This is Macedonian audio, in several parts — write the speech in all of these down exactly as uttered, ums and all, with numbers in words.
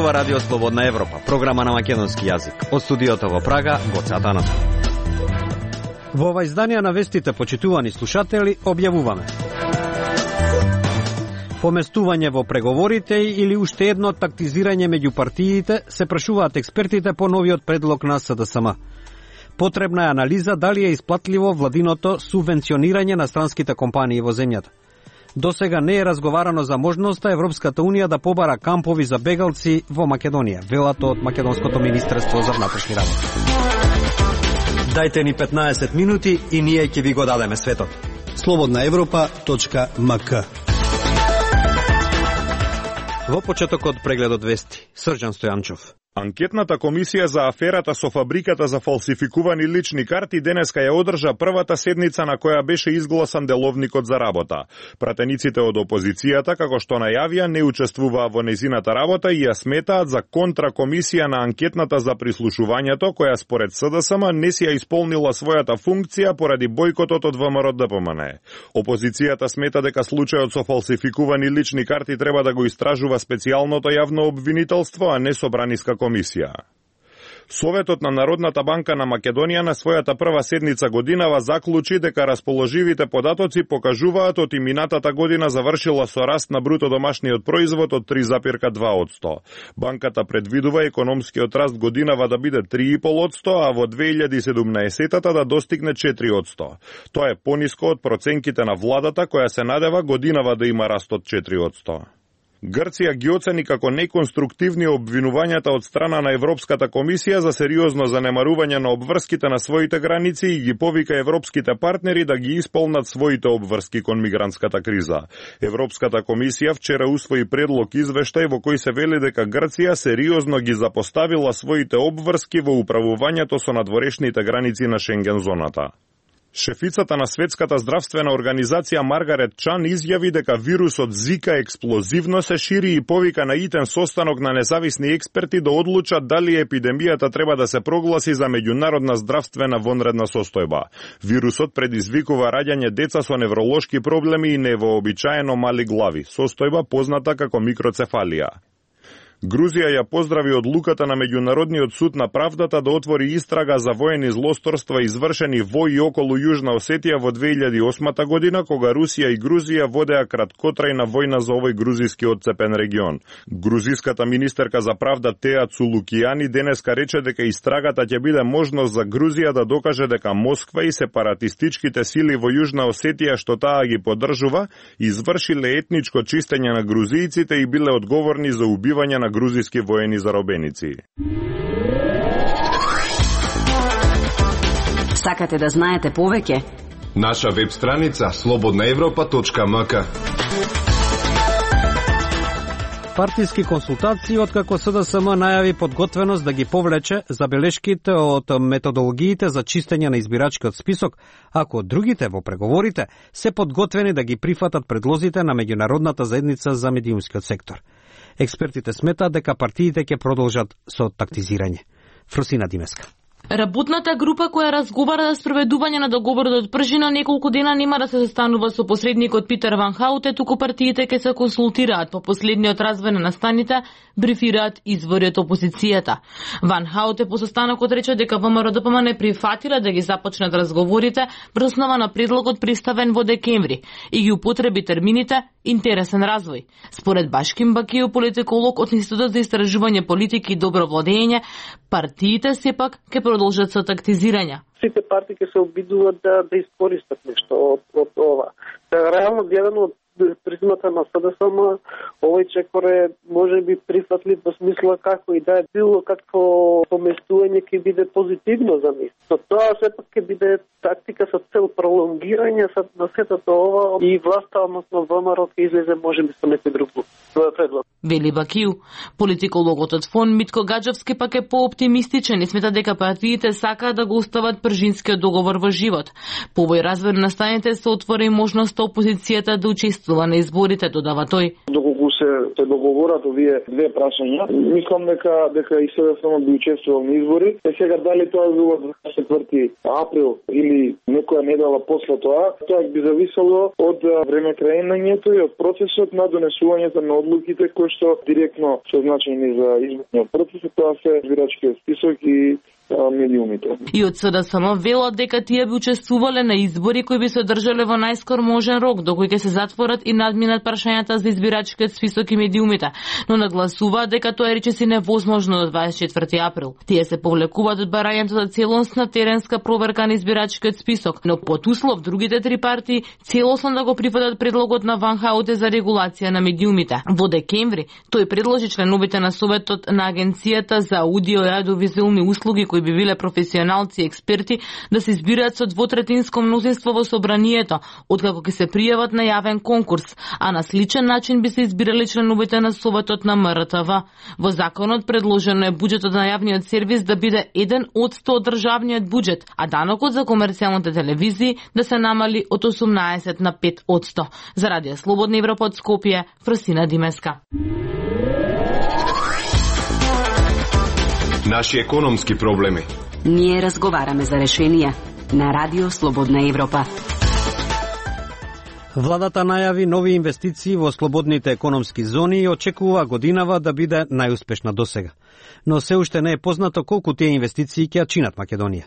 зборува Радио Слободна Европа, програма на македонски јазик. Од студиото во Прага, Гоце Атанасов. Во ова издание на вестите, почитувани слушатели, објавуваме поместување во преговорите или уште едно тактизирање меѓу партиите, се прашуваат експертите по новиот предлог на С Д С М. Потребна е анализа дали е исплатливо владиното субвенционирање на странските компании во земјата. До сега не е разговарано за можноста Европската Унија да побара кампови за бегалци во Македонија, велат од Македонското министерство за внатрешни работи. Дајте ни петнаесет минути и ние ќе ви го дадеме светот. слободна европа точка м к. Во почетокот прегледот вести, Срđan Стојанчов. Анкетната комисија за аферата со фабриката за фалсификувани лични карти денеска ја одржа првата седница на која беше изгласан деловникот за работа. Пратениците од опозицијата, како што најавија, не учествуваа во нејзината работа и ја сметаат за контракомисија на анкетната за прислушувањето, која според С Д С М не си ја исполнила својата функција поради бојкотот од В М Р Д П М Н. Опозицијата смета дека случајот со фалсификувани лични карти треба да го истражува специјалното јавно обвинителство, а не собраниска комисија. Комисија. Советот на Народната банка на Македонија на својата прва седница годинава заклучи дека расположивите податоци покажуваат од минатата година завршила со раст на бруто домашниот производ од три запирка два одсто. Банката предвидува економскиот раст годинава да биде три и пол одсто, а во две илјади и седумнаесетта да достигне четири одсто. Тоа е пониско од проценките на владата, која се надева годинава да има раст од четири одсто. Грција ги оцени како неконструктивни обвинувањата од страна на Европската комисија за сериозно занемарување на обврските на своите граници и ги повика европските партнери да ги исполнат своите обврски кон мигрантската криза. Европската комисија вчера усвои предлог извештај во кој се вели дека Грција сериозно ги запоставила своите обврски во управувањето со надворешните граници на Шенген зоната. Шефицата на Светската здравствена организација Маргарет Чан изјави дека вирусот Зика експлозивно се шири и повика на итен состанок на независни експерти да одлучат дали епидемијата треба да се прогласи за меѓународна здравствена вонредна состојба. Вирусот предизвикува раѓање деца со невролошки проблеми и невообичаено мали глави, состојба позната како микроцефалија. Грузија ја поздрави одлуката на Меѓународниот суд на правдата да отвори истрага за воени злосторства извршени во и околу Јужна Осетија во две илјади и осма година, кога Русија и Грузија водеа краткотрајна војна за овој грузиски отцепен регион. Грузиската министерка за правда Теа Цулукијани денеска рече дека истрагата ќе биде можност за Грузија да докаже дека Москва и сепаратистичките сили во Јужна Осетија што таа ги поддржува извршиле етничко чистење на грузијците и биле одговорни за убивање на грузиски воени заробеници. Сакате да знаете повеќе? Наша веб страница слободна европа точка м к. Партиски консултации откако С Д С М најави подготвеност да ги повлече забелешките од методологиите за чистење на избирачкиот список, ако другите во преговорите се подготвени да ги прифатат предлозите на меѓународната заедница за медиумскиот сектор. Експертите сметаат дека партиите ќе продолжат со тактизирање. Фрусина Димеска. Работната група која разговара за спроведување на договорот од Пржина неколку дена нема да се застанува со посредникот Питер Ван Хауте, туку партиите ќе се консултираат. По последниот развој на настаните брифираат извори од опозицијата. Ван Хауте по состанокот рече дека В М Р Д П М не прифатила да ги започнат разговорите врз основа на предлогот представен во декември и ги употреби термините интересен развој. Според Башким Бакију, политиколог од Институтот за истражување политики и добро владење, партиите сепак ќе продолжат со тактизирање. Сите партии ќе се обидуваат да, да искористат нешто од, од ова. Та, реално гледано од призмата на С Д С М, овој чекор е може би прифатлив во смисла како и да е било какво поместување ќе биде позитивно за нив. Но тоа сепак ќе биде тактика со цел пролонгирање на сетото ова и власта, односно В М Р ќе излезе може би со некој друг предлог. Вели Бакију. Политикологот од Фон Митко Гаджевски пак е пооптимистичен и смета дека партиите сакаат да го остават Пржинскиот договор во живот. По овој развој на станите се отвори можноста опозицијата да учествува на изборите, додава тој. Доколку се се договорат овие две прашања, мислам дека дека и СДСМ би учествувал на избори. Е сега дали тоа било дваесет и четврти април или некоја недела после тоа, тоа би зависело од време краењето и од процесот на донесувањето на одлуките кои што директно се значени за изборниот процес, тоа се избирачкиот список и медиумите. И од СДСМ велат дека тие би учествувале на избори кои би се одржале во најскор можен рок, до кој ќе се затворат и надминат прашањата за избирачкиот список и медиумите, но нагласуваат дека тоа е речиси невозможно до дваесет и четврти април. Тие се повлекуваат од барањето за целосна теренска проверка на избирачкиот список, но под услов другите три партии целосно да го прифатат предлогот на Ван Хауте за регулација на медиумите. Во декември тој предложи членовите на Советот на Агенцијата за аудио и аудиовизуелни услуги кои би биле професионалци и експерти да се избираат со двотретинско мнозинство во собранието, откако ќе се пријават на јавен конкурс, а на сличен начин би се избирали членовите на Советот на М Р Т В. Во законот предложено е буџетот на јавниот сервис да биде еден од сто од државниот буџет, а данокот за комерцијалните телевизии да се намали од осумнаесет на пет од сто. За Радио Слободна Европа од Скопје, Фросина Димеска. Наши економски проблеми. Ние разговараме за решенија на Радио Слободна Европа. Владата најави нови инвестиции во слободните економски зони и очекува годинава да биде најуспешна досега. Но се уште не е познато колку тие инвестиции ќе чинат Македонија.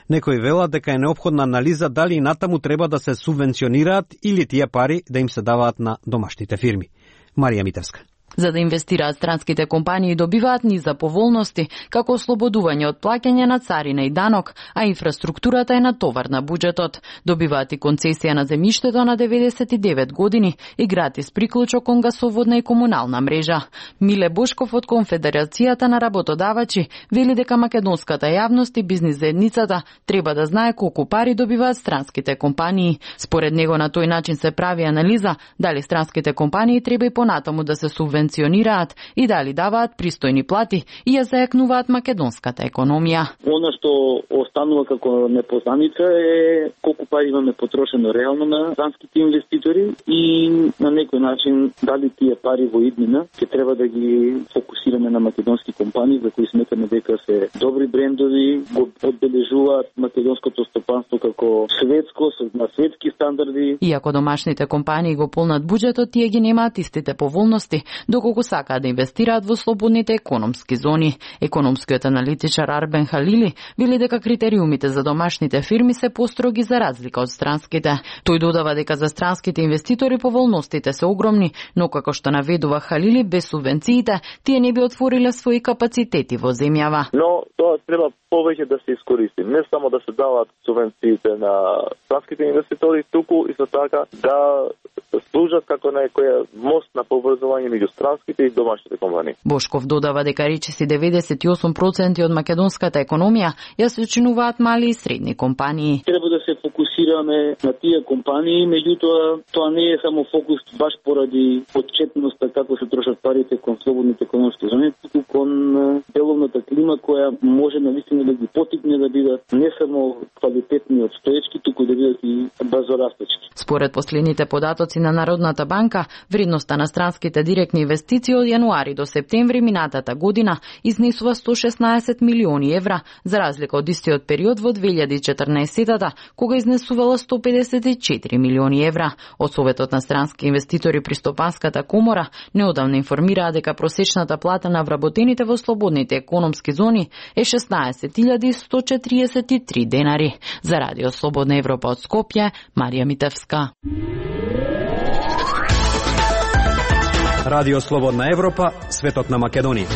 Некои велат дека е неопходна анализа дали и натаму треба да се субвенционираат или тие пари да им се даваат на домашните фирми. Марија Митевска. За да инвестираат странските компании добиваат низ за поволности, како ослободување од плаќање на царина и данок, а инфраструктурата е натовар на буџетот. Добиваат и концесија на земјиштето на деветдесет и девет години и гратис приклучок кон гасоводна и комунална мрежа. Миле Бошков од Конфедерацијата на работодавачи вели дека македонската јавност и бизнис заедницата треба да знае колку пари добиваат странските компании. Според него на тој начин се прави анализа дали странските компании треба и понатаму да се субвенционираат и дали даваат пристојни плати и ја зајакнуваат македонската економија. Оно што останува како непознаница е колку пари имаме потрошено реално на странските инвеститори и на некој начин дали тие пари во иднина ќе треба да ги фокусираме на македонски компании за кои сметаме дека се добри брендови, го одбележуваат македонското стопанство како светско, на светски стандарди. Иако домашните компании го полнат буџетот, тие ги немаат истите поволности доколку сакаат да инвестираат во слободните економски зони. Економскиот аналитичар Арбен Халили вели дека критериумите за домашните фирми се построги за разлика од странските. Тој додава дека за странските инвеститори поволностите се огромни, но како што наведува Халили, без субвенциите тие не би отвориле своји капацитети во земјава. Но тоа треба повеќе да се искористи, не само да се даваат субвенциите на странските инвеститори, туку исто така да служат како некоја мост на поврзување меѓу странските и домашните компании. Бошков додава дека речиси деветдесет и осум проценти од македонската економија ја сочинуваат мали и средни компании. Треба да се фокусираме на тие компании, меѓутоа тоа не е само фокус баш поради отчетноста како се трошат парите кон слободните економски зони, туку кон деловната клима која може навистина да ги потикне да бидат не само квалитетни обстоечки, туку да бидат и брзорастечки. Според последните податоци на Народната банка, вредноста на странските директни инвестиции од јануари до септември минатата година изнесува сто шеснаесет милиони евра, за разлика од истиот период во две илјади и четрнаесетта, кога изнесувала сто педесет и четири милиони евра. Од Советот на странски инвеститори при Стопанската комора неодамна информираа дека просечната плата на вработените во слободните економски зони е шеснаесет илјади сто четиридесет и три денари. За Радио Слободна Европа од Скопје, Марија Митевска. Радио Слободна Европа, светот на Македонија.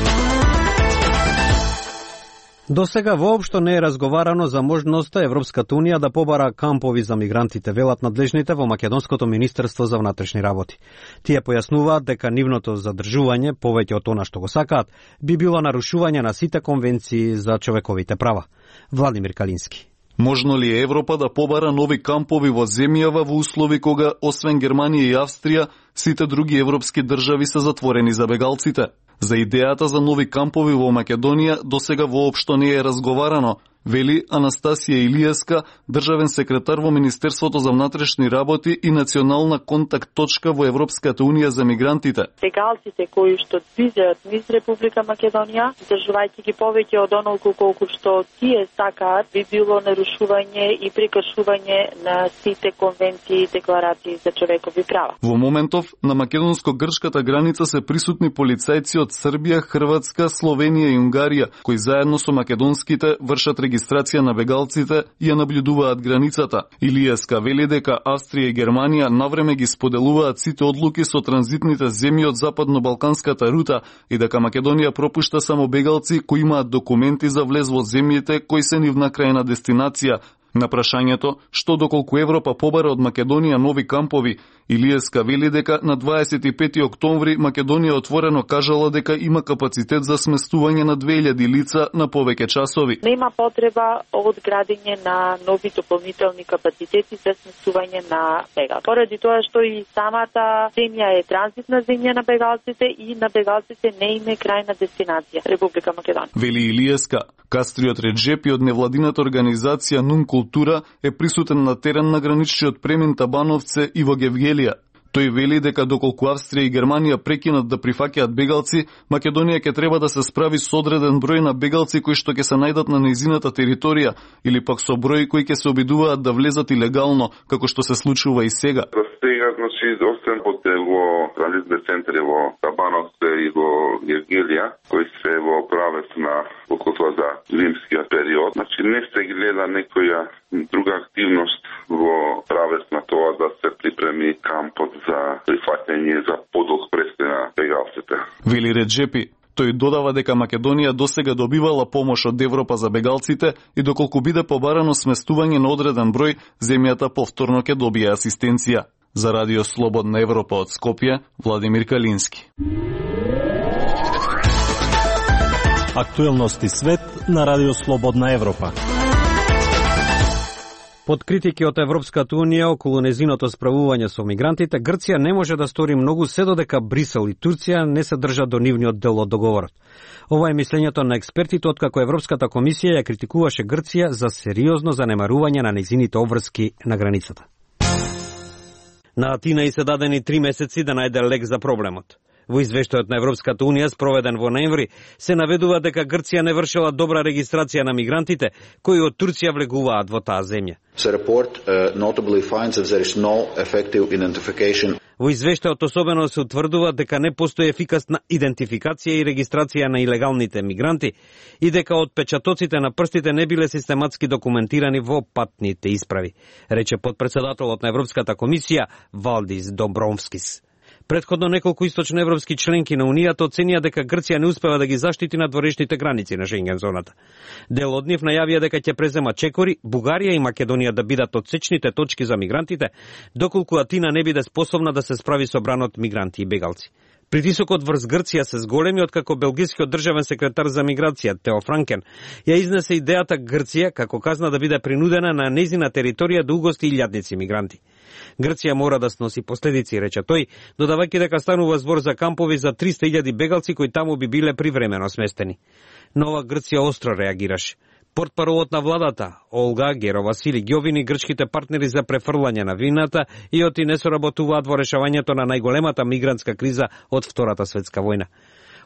До сега воопшто не е разговарано за можноста Европската Унија да побара кампови за мигрантите, велат надлежните во Македонското министерство за внатрешни работи. Тие појаснуваат дека нивното задржување, повеќе од она што го сакаат, би било нарушување на сите конвенции за човековите права. Владимир Калински. Можно ли е Европа да побара нови кампови во земјава во услови кога, освен Германија и Австрија, сите други европски држави се затворени за бегалците? За идејата за нови кампови во Македонија досега воопшто не е разговарано вели Анастасија Илијеска, државен секретар во Министерството за внатрешни работи и национална контакт точка во Европската унија за мигрантите. Бегалците кои што движат низ Република Македонија, држувајќи ги повеќе од онолку колку што тие сакаат, би било нарушување и прекршување на сите конвенции и декларации за човекови права. Во моментов на македонско-грчката граница се присутни полицајци од Србија, Хрватска, Словенија и Унгарија, кои заедно со македонските вршат регистрација на бегалците и ја наблюдуваат границата. Илијеска вели дека Австрија и Германија навреме ги споделуваат сите одлуки со транзитните земји од западно-балканската рута и дека Македонија пропушта само бегалци кои имаат документи за влез во земјите кои се нивна крајна дестинација. На прашањето што доколку Европа побара од Македонија нови кампови, Илијеска вели дека на дваесет и пети октомври Македонија отворено кажала дека има капацитет за сместување на две илјади лица на повеќе часови. Нема потреба од градење на нови дополнителни капацитети за сместување на бегалци. Поради тоа што и самата земја е транзитна земја на бегалците и на бегалците не име крајна дестинација Република Македонија. Вели Илијеска, Кастриот Реджепи од невладината организација Нун Култура е присутен на терен на граничниот премин Табановце и во Гевгелија. Тој вели дека доколку Австрија и Германија прекинат да прифаќаат бегалци, Македонија ќе треба да се справи со одреден број на бегалци кои што ќе се најдат на нејзината територија или пак со број кои ќе се обидуваат да влезат илегално, како што се случува и сега. За сега, значи, освен хотел во транзитни центри во Табановце и во Гевгелија, кои се во правец на околу за зимскиот период, значи не се гледа некоја друга активност во правец на тоа да се припреми кампот за прифаќање за подолг престој на бегалците. Вели Реджепи. Тој додава дека Македонија досега добивала помош од Европа за бегалците и доколку биде побарано сместување на одреден број, земјата повторно ќе добие асистенција. За Радио Слободна Европа од Скопје, Владимир Калински. Актуелности свет на Радио Слободна Европа. Под критики од Европската Унија околу незиното справување со мигрантите, Грција не може да стори многу се додека Брисел и Турција не се држат до нивниот дел од договорот. Ова е мислењето на експертите откако Европската комисија ја критикуваше Грција за сериозно занемарување на незините обврски на границата. На Атина и се дадени три месеци да најде лек за проблемот. Во извештајот на Европската Унија, спроведен во ноември, се наведува дека Грција не вршила добра регистрација на мигрантите кои од Турција влегуваат во таа земја. The report uh, notably finds that there is no effective identification. Во извештајот особено се утврдува дека не постои ефикасна идентификација и регистрација на илегалните мигранти и дека отпечатоците на прстите не биле систематски документирани во патните исправи, рече потпредседателот на Европската комисија Валдис Домбровскис. Претходно неколку источноевропски членки на Унијата оценија дека Грција не успева да ги заштити надворешните граници на Шенген зоната. Дел од нив најавија дека ќе презема чекори Бугарија и Македонија да бидат отсечните точки за мигрантите, доколку Атина не биде способна да се справи со бранот мигранти и бегалци. Притисокот врз Грција се зголеми откако белгискиот државен секретар за миграција Тео Франкен ја изнесе идејата Грција како казна да биде принудена на нејзина територија да угости илјадници мигранти. Грција мора да сноси последици, рече тој, додавајќи дека станува збор за кампови за триста илјади бегалци кои таму би биле привремено сместени. Но ова Грција остро реагираше. Портпаролот на владата, Олга Геро-Васили, ги обвини грчките партнери за префрлање на вината и оти не соработуваат во решавањето на најголемата мигрантска криза од Втората светска војна.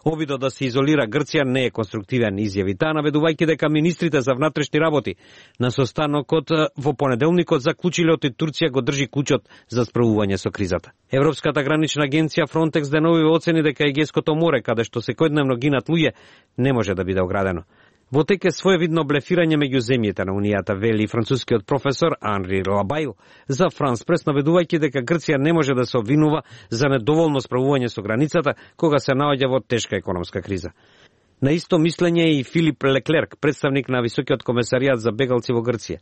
Обидот да се изолира Грција не е конструктивен, изјави таа, наведувајќи дека министрите за внатрешни работи на состанокот во понеделникот заклучиле оти Турција го држи клучот за справување со кризата. Европската гранична агенција Фронтекс денови оцени дека Егејското море, каде што секојдневно гинат луѓе, не може да биде оградено. Во тек е своевидно блефирање меѓу земјите на Унијата, вели францускиот професор Анри Лабаил за Франс Прес, наведувајќи дека Грција не може да се обвинува за недоволно справување со границата кога се наоѓа во тешка економска криза. На исто мислење и Филип Леклерк, представник на Високиот комесаријат за бегалци во Грција.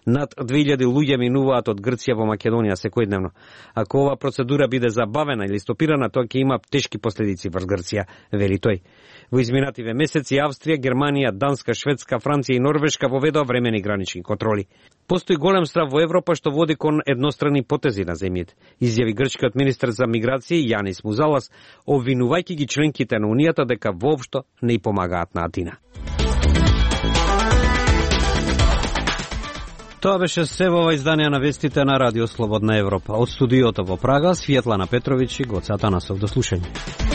Над две илјади луѓе минуваат од Грција во Македонија секојдневно. Ако ова процедура биде забавена или стопирана, тоа ќе има тешки последици врз Грција, вели тој. Во изминативе месеци Австрија, Германија, Данска, Шведска, Франција и Норвешка воведоа времени гранични контроли. Постои голем страв во Европа што води кон еднострани потези на земјите, изјави грчкиот министер за миграција Јанис Музалас, обвинувајќи ги членките на Унијата дека воопшто не помагаат на Атина. Тоа беше се во ова издание на вестите на Радио Слободна Европа. Од студиото во Прага, Светлана Петровиќ и Гоце Атанасов. До слушање.